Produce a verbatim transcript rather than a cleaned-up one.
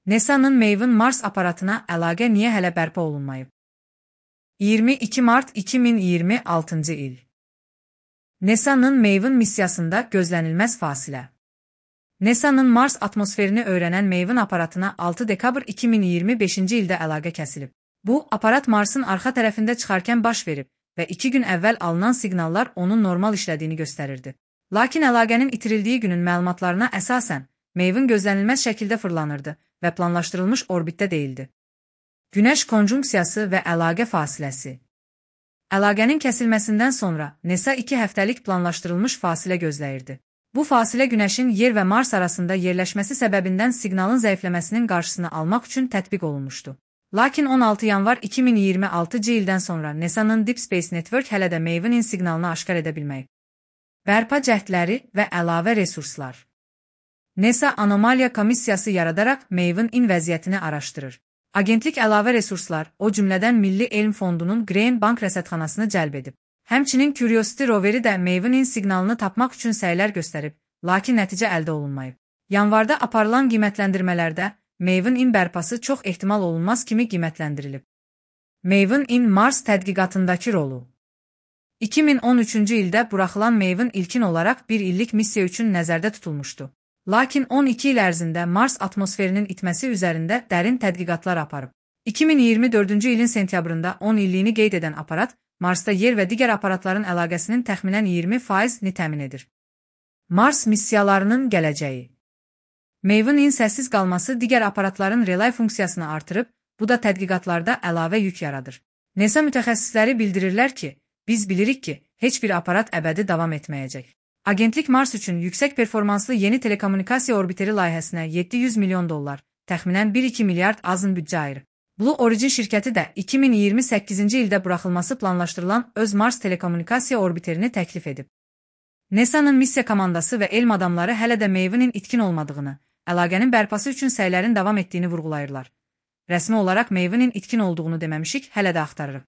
NASA'nın Maven Mars aparatına əlaqə niyə hələ bərpa olunmayıb? iyirmi iki mart iki min iyirmi altıncı il. NASA'nın Maven missiyasında gözlənilməz fasilə. NASA'nın Mars atmosferini öyrənən Maven aparatına altı dekabr iki min iyirmi beşinci ildə əlaqə kəsilib. Bu, aparat Marsın arxa tərəfində çıxarkən baş verib və iki gün əvvəl alınan siqnallar onun normal işlədiyini göstərirdi. Lakin əlaqənin itirildiyi günün məlumatlarına əsasən, Maven gözlənilməz şəkildə fırlanırdı və planlaşdırılmış orbitdə deyildi. Günəş konjunksiyası və əlaqə fasiləsi. Əlaqənin kəsilməsindən sonra NASA iki həftəlik planlaşdırılmış fasilə gözləyirdi. Bu fasilə Günəşin Yer və Mars arasında yerləşməsi səbəbindən siqnalın zəifləməsinin qarşısını almaq üçün tətbiq olunmuşdu. Lakin on altı yanvar iki min iyirmi altıncı ildən sonra NASA'nın Deep Space Network hələ də Maven'in siqnalını aşkar edə bilməyib. Bərpa cəhdləri və əlavə resurslar. NASA anomaliya komissiyası yaradaraq Maven-in vəziyyətini araşdırır. Agentlik əlavə resurslar, o cümlədən Milli Elm Fondunun Grain Bank rəsədxanasını cəlb edib. Həmçinin Curiosity roveri də Maven-in siqnalını tapmaq üçün səylər göstərib, lakin nəticə əldə olunmayıb. Yanvarda aparılan qiymətləndirmələrdə Maven-in bərpası çox ehtimal olunmaz kimi qiymətləndirilib. Maven-in Mars tədqiqatındakı rolu. iki min on üçüncü ildə buraxılan Maven ilkin olaraq bir illik missiya üçün nəzərdə tutulmuşdu. Lakin on iki il ərzində Mars atmosferinin itməsi üzərində dərin tədqiqatlar aparıb. iki min iyirmi dördüncü ilin sentyabrında on illiyini qeyd edən aparat, Marsda yer və digər aparatların əlaqəsinin təxminən iyirmi faizini təmin edir. Mars missiyalarının gələcəyi. Maven-in səssiz qalması digər aparatların relay funksiyasını artırıb, bu da tədqiqatlarda əlavə yük yaradır. NASA mütəxəssisləri bildirirlər ki, biz bilirik ki, heç bir aparat əbədi davam etməyəcək. Agentlik Mars üçün yüksək performanslı yeni telekommunikasiya orbiteri layihəsinə yeddi yüz milyon dollar, təxminən bir iki milyard azın büdcə ayırıb. Blue Origin şirkəti də iki min iyirmi səkkizinci ildə buraxılması planlaşdırılan öz Mars telekommunikasiya orbiterini təklif edib. NASA'nın missiya komandası və elm adamları hələ də Maven-in itkin olmadığını, əlaqənin bərpası üçün səylərin davam etdiyini vurğulayırlar. Rəsmi olaraq Maven-in itkin olduğunu deməmişik, hələ də axtarırıq.